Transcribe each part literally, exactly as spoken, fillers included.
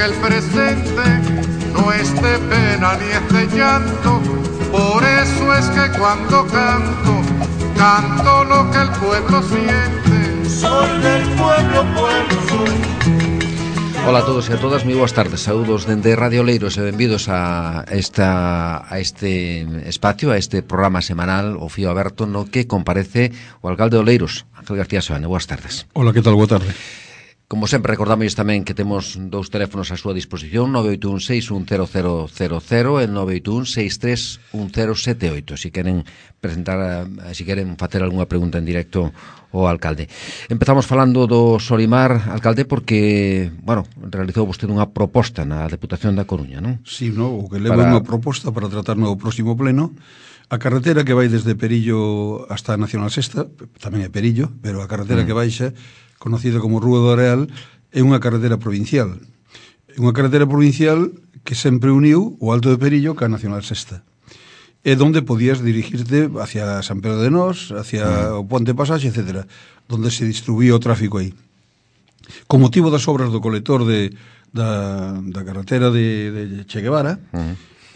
que el presente no es de pena ni es de llanto. Por eso es que cuando canto, canto lo que el pueblo siente. Soy del pueblo, pueblo soy. Ola a todos e a todas, moi boas tardes. Saúdos dende Radio Oleiros e benvidos a esta a este espacio, a este programa semanal O Fío Aberto, no que comparece o alcalde de Oleiros, Ángel García Seoane. Boas tardes. Ola, que tal? Boa tarde. Como sempre, recordamos tamén que temos dous teléfonos á súa disposición, nove oito un seis un cero cero cero cero e nove oito un seis tres un cero sete oito. Si queren presentar, si queren facer algunha pregunta en directo ao alcalde. Empezamos falando do Solimar, alcalde, porque, bueno, realizou vostede unha proposta na Deputación da Coruña, non? Si, sí, no, o que leva para... unha proposta para tratar no próximo pleno. A carretera que vai desde Perillo hasta Nacional Sexta, tamén é Perillo, pero a carretera mm. que baixa, conocida como Rúa do Areal, é unha carretera provincial. É unha carretera provincial que sempre uniu o Alto de Perillo ca Nacional Sexta. É donde podías dirigirte hacia San Pedro de Nós, hacia mm. o Ponte Pasaxe, etcétera, donde se distribuía o tráfico aí. Con motivo das obras do colector de, da, da carretera de, de Che Guevara, mm.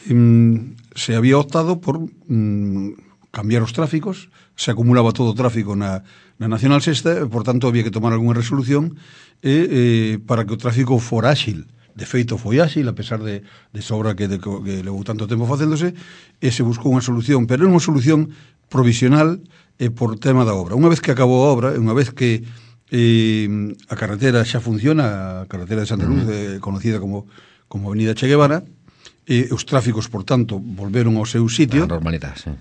em, se había optado por em, cambiar os tráficos, se acumulaba todo o tráfico na na Nacional Sexta, e, por tanto, había que tomar algunha resolución e, eh, para que o tráfico fora áxil. De feito, foi áxil, a pesar de, de sobra que, de, que levou tanto tempo facéndose, e se buscou unha solución, pero é unha solución provisional e por tema da obra. Unha vez que acabou a obra, unha vez que eh, a carretera xa funciona, a carretera de Santa Luz, eh, conocida como, como Avenida Che Guevara, e os tráficos, por tanto, volveron ao seu sitio. A normalidade, sí.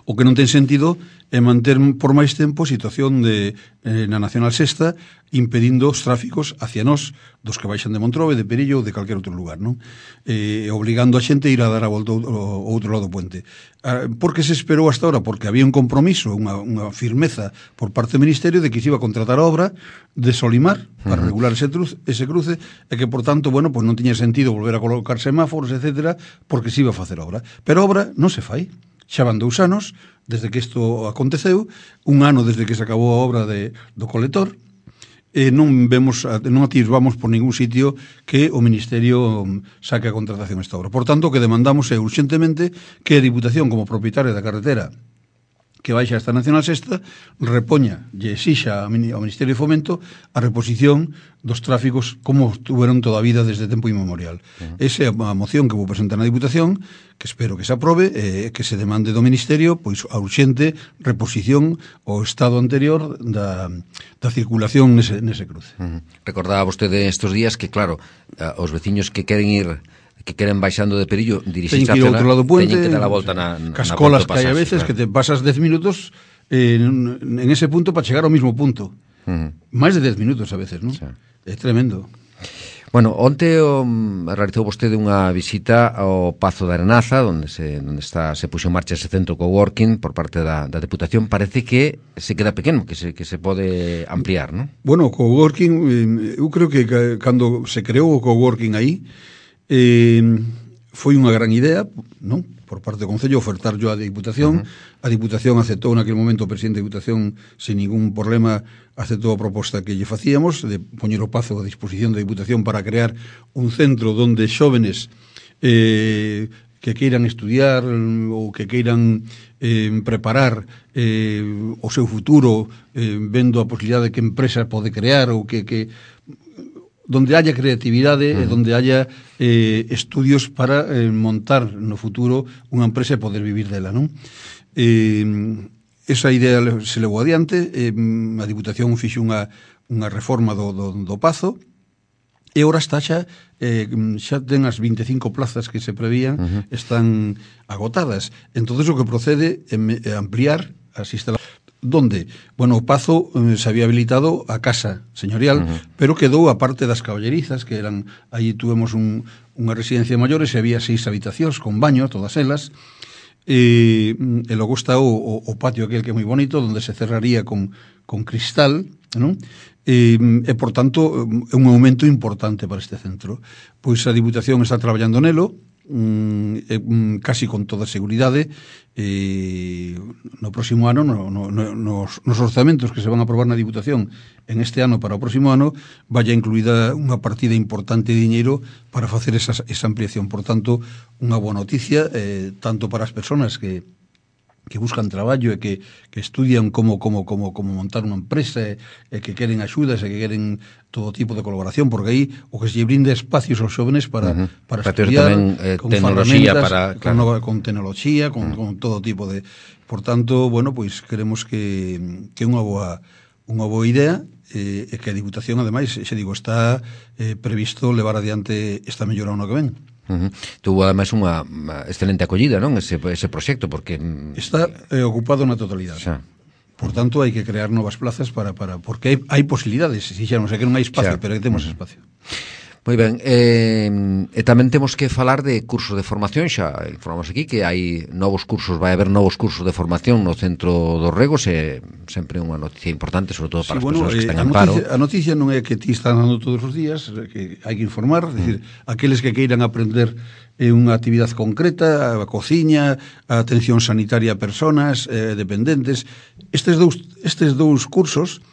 O que non ten sentido é manter por máis tempo a situación de, eh, na Nacional Sexta impedindo os tráficos hacia nós, dos que baixan de Montrobe, de Perillo ou de calquer outro lugar, non? Eh, obligando a xente a ir a dar a volta ao outro lado do puente. Ah, por que se esperou hasta ahora? Porque había un compromiso, unha, unha firmeza por parte do Ministerio de que se iba a contratar a obra de Solimar para uh-huh. regular ese, truz, ese cruce e que, por tanto, bueno, pues non tiña sentido volver a colocar semáforos, etcétera, porque se iba a facer obra. Pero a obra non se fai. Xa van dous anos desde que isto aconteceu, un ano desde que se acabou a obra de, do colector, e non vemos, non atisbamos por ningún sitio que o Ministerio saque a contratación esta obra. Por tanto, o que demandamos é urxentemente que a Diputación, como propietaria da carretera que baixa esta Nacional Sexta, repoña e exixa ao Ministerio de Fomento a reposición dos tráficos como estuveron toda a vida desde tempo inmemorial. Uh-huh. Esa é a moción que vou presentar na Diputación, que espero que se aprobe, e que se demande do Ministerio pois a urxente reposición ao estado anterior da, da circulación nese, nese cruce. Uh-huh. Recordaba vostede estes días que, claro, os veciños que queren ir que queren baixando de Perillo, dirixirse a outro lado do puente, teñen que dar a volta na, na cascolas que hai a veces, claro, que te pasas dez minutos eh, en ese punto para chegar ao mismo punto. Uh-huh. Máis de dez minutos a veces, non? Sí. É tremendo. Bueno, onte um, realizou vostede unha visita ao Pazo da Arenaza, onde se onde está se puxo en marcha ese centro coworking por parte da, da Deputación. Parece que se queda pequeno, que se que se pode ampliar, non? Bueno, o coworking, eu creo que cando se creou o coworking aí, Eh, foi unha gran idea, non? Por parte do Concello ofertar yo a Diputación. Uh-huh. A Diputación aceptou naquele momento, o presidente da Diputación sin ningún problema aceptou a proposta que lle facíamos de poñer o Pazo a disposición da Diputación para crear un centro donde xóvenes eh, que queiran estudiar ou que queiran eh, preparar eh, o seu futuro eh, vendo a posibilidade de que empresa pode crear ou que, que donde haya creatividade uh-huh. e donde haya eh, estudios para eh, montar no futuro unha empresa e poder vivir dela, non? Eh, esa idea se levou adiante, eh, a Diputación fixe unha, unha reforma do, do, do Pazo, e ora está xa, eh, xa ten as vinte e cinco plazas que se prevían, uh-huh. están agotadas. Entonces o que procede é ampliar as instalacións. Donde? Bueno, o Pazo eh, se había habilitado a casa señorial, uh-huh. pero quedou a parte das caballerizas, que eran, aí tuvemos un, unha residencia de maiores e había seis habitacións con baño, todas elas, e, e logo está o, o, o patio aquel que é moi bonito, onde se cerraría con, con cristal, non? E, e, por tanto, é un aumento importante para este centro. Pois a Diputación está traballando nelo, mm, eh, mm, casi con toda seguridade, eh, no próximo ano, no, no, no, nos, nos orzamentos que se van a aprobar na Diputación en este ano para o próximo ano, vaya incluída unha partida importante de diñeiro para facer esa, esa ampliación. Por tanto, unha boa noticia, eh, tanto para as persoas que que buscan traballo e que, que estudian como, como, como, como montar unha empresa e, e que queren axudas e que queren todo tipo de colaboración, porque aí o que se lle brinda espacios aos jóvenes para, uh -huh. para, para estudiar tamén, eh, con tecnoloxía para, con, claro. con tecnoloxía, con, uh -huh. con todo tipo de... Por tanto, bueno, pois pues, queremos que, que unha boa unha boa idea e eh, que a Diputación, ademais, xe digo, está eh, previsto levar adiante esta mellora ano que ven. Uh -huh. Tuvo ademais unha, unha excelente acollida, non? Ese, ese proxecto, porque está eh, ocupado na totalidade. Xa. Por tanto, hai que crear novas plazas para, para porque hai, hai posibilidades, si xa non sei que non hai espacio, xa. Pero que temos espacio. Moi ben, eh, e tamén temos que falar de cursos de formación. Xa informamos aquí que hai novos cursos, vai haber novos cursos de formación no Centro dos Regos, e sempre unha noticia importante, sobre todo para sí, as bueno, persoas que están eh, en paro. A noticia non é que ti están dando todos os días, que hai que informar, mm. decir, aqueles que queiran aprender eh, unha actividade concreta, a cociña, a atención sanitaria a persoas eh, dependentes, estes dous, estes dous cursos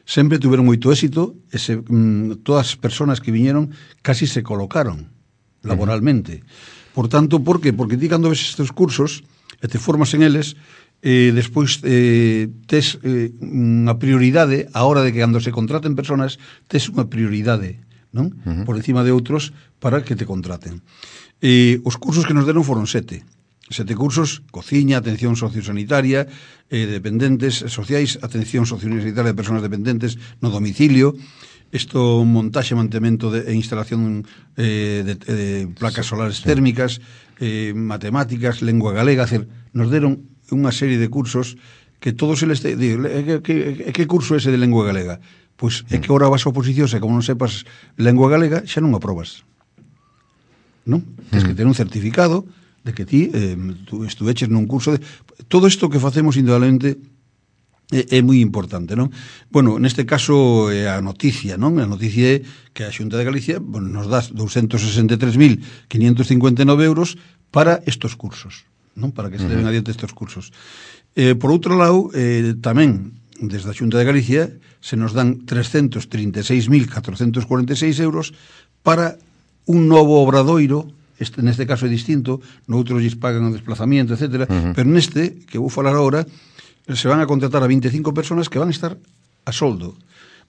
sempre tuveron moito éxito e se, mm, todas as persoas que viñeron casi se colocaron laboralmente. Uh -huh. Por tanto, por qué? Porque ti cando ves estes cursos e te formas en eles, eh, despois eh, tes eh, unha prioridade a hora de que cando se contraten persoas tes unha prioridade, non? Uh -huh. Por encima de outros para que te contraten. Eh, os cursos que nos deron foron sete. Sete cursos: cociña, atención sociosanitaria, eh, dependentes sociais, atención sociosanitaria de persoas dependentes no domicilio, isto montaxe, mantemento de, e instalación eh, de, de placas solares térmicas, eh, matemáticas, lengua galega. Hacer, nos deron unha serie de cursos que todos eles... Te, digo, que, que, que curso é ese de lengua galega? Pois é que ahora vas a oposicións e como non sepas lengua galega xa non aprobas, non? Tens que ter un certificado de que ti eh, tu estuveches nun curso de... Todo isto que facemos indudablemente é, é moi importante, non? Bueno, neste caso é a noticia, non? A noticia é que a Xunta de Galicia, bueno, nos dá doscientos sesenta e tres mil quinientos cincuenta e nove euros para estos cursos, non? Para que se leven adiante estes cursos. Eh, por outro lado, eh, tamén desde a Xunta de Galicia se nos dan trescentos trinta e seis mil catrocentos cuarenta e seis euros para un novo obradoiro. Este, neste caso é distinto, noutros lles pagan o desplazamiento, etcétera, uh -huh. pero neste, que vou falar agora, se van a contratar a vinte e cinco persoas que van a estar a soldo.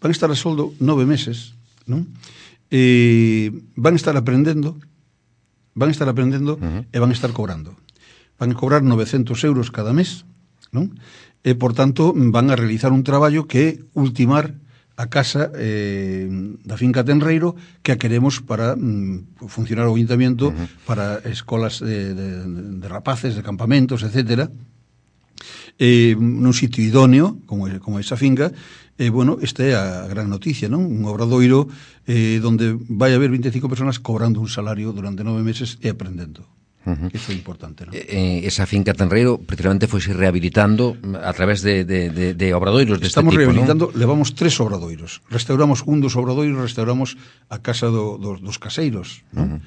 Van a estar a soldo nove meses, non? E van a estar aprendendo, van a estar aprendendo uh -huh. e van a estar cobrando. Van a cobrar novecentos euros cada mes, non? E, por tanto, van a realizar un traballo que é ultimar a casa eh, da finca Tenreiro, que a queremos para mm, funcionar o ayuntamiento, uh -huh. para escolas de, de, de rapaces, de campamentos, etcétera, eh, nun sitio idóneo como, como esa finca. E, eh, bueno, esta é a gran noticia, non? Un obradoiro eh, donde vai haber vinte e cinco persoas cobrando un salario durante nove meses e aprendendo. Uh -huh. Iso é importante, non? Eh, esa finca Tenreiro precisamente foi rehabilitando a través de, de, de, de obradoiros deste tipo, Estamos rehabilitando, ¿no? Levamos tres obradoiros. Restauramos un dos obradoiros, restauramos a casa do, do, dos caseiros, non? Uh -huh.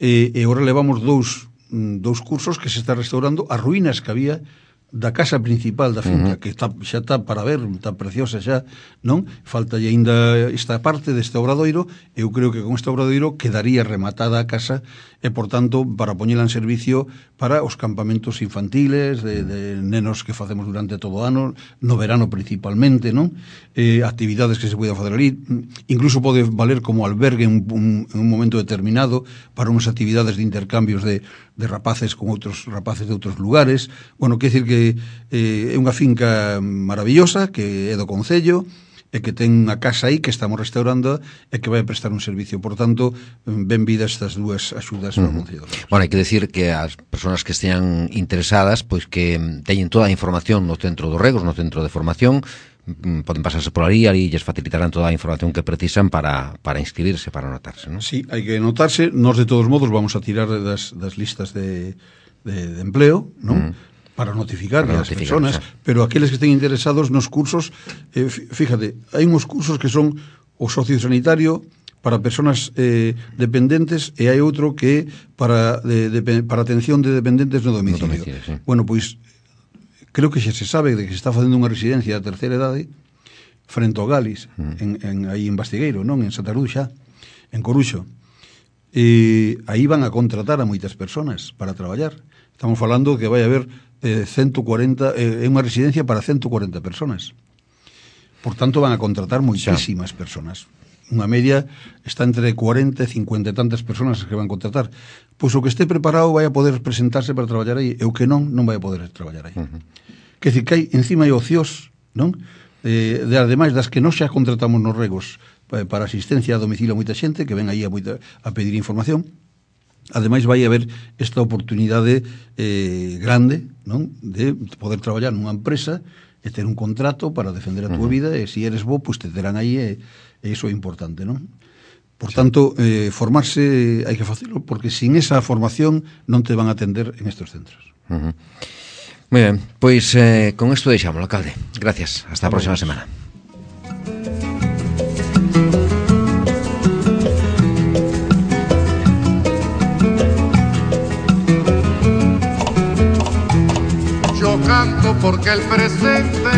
E, e agora levamos dous, dous cursos que se está restaurando as ruínas que había da casa principal da finca, uh -huh. que está, xa está para ver, está preciosa xa, non? Falta ainda esta parte deste obradoiro. Eu creo que con este obradoiro quedaría rematada a casa e, por tanto, para poñela en servicio para os campamentos infantiles de, de nenos que facemos durante todo o ano, no verano principalmente, non? Eh, actividades que se poden facer ali, incluso pode valer como albergue en un, en un momento determinado para unhas actividades de intercambios de, de rapaces con outros rapaces de outros lugares. Bueno, quer dicir que eh, é unha finca maravillosa que é do Concello e que ten unha casa aí que estamos restaurando e que vai a prestar un servicio. Por tanto, ben vidas estas dúas axudas uh -huh. no Concello. Bueno, hai que decir que as persoas que estean interesadas, pois que teñen toda a información no Centro dos Regos, no Centro de Formación, poden pasarse por ali, ali lles facilitarán toda a información que precisan para, para inscribirse, para anotarse, non? Sí, hai que anotarse. Nos, de todos modos, vamos a tirar das, das listas de, de, de empleo, non? Uh -huh. para notificar para as persoas, pero aqueles que estén interesados nos cursos, eh, fíjate, hai uns cursos que son o sociosanitario para persoas eh, dependentes e hai outro que para, de, de, para atención de dependentes no domicilio. No domicilio, sí. Bueno, pois creo que xa se sabe de que se está facendo unha residencia a terceira idade frente ao Galis, mm. en, en, aí en Bastigueiro, non? En Santa Cruz xa, en Coruxo. E aí van a contratar a moitas persoas para traballar. Estamos falando que vai haber eh, ciento cuarenta, é eh, unha residencia para ciento cuarenta persoas. Por tanto, van a contratar moitísimas persoas. Unha media está entre cuarenta e cincuenta e tantas persoas que van a contratar. Pois o que este preparado vai a poder presentarse para traballar aí, e o que non, non vai a poder traballar aí. Uh-huh. Que dicir, que hai encima hai ocios, non? Eh, de, ademais das que non xa contratamos nos regos eh, para asistencia a domicilio a moita xente que ven aí a, moita, a pedir información. Ademais vai haber esta oportunidade eh, grande, non? De poder traballar nunha empresa e ter un contrato para defender a túa uh-huh. vida, e se eres bo, pois te terán aí, e, e iso é importante, non? Por sí. tanto, eh, formarse hai que facelo, porque sin esa formación non te van a atender en estes centros. Uh-huh. Moi ben, pois eh, con isto deixamos, alcalde. Gracias, hasta a próxima semana. Canto porque el presente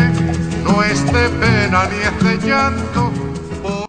no es de pena ni es de llanto,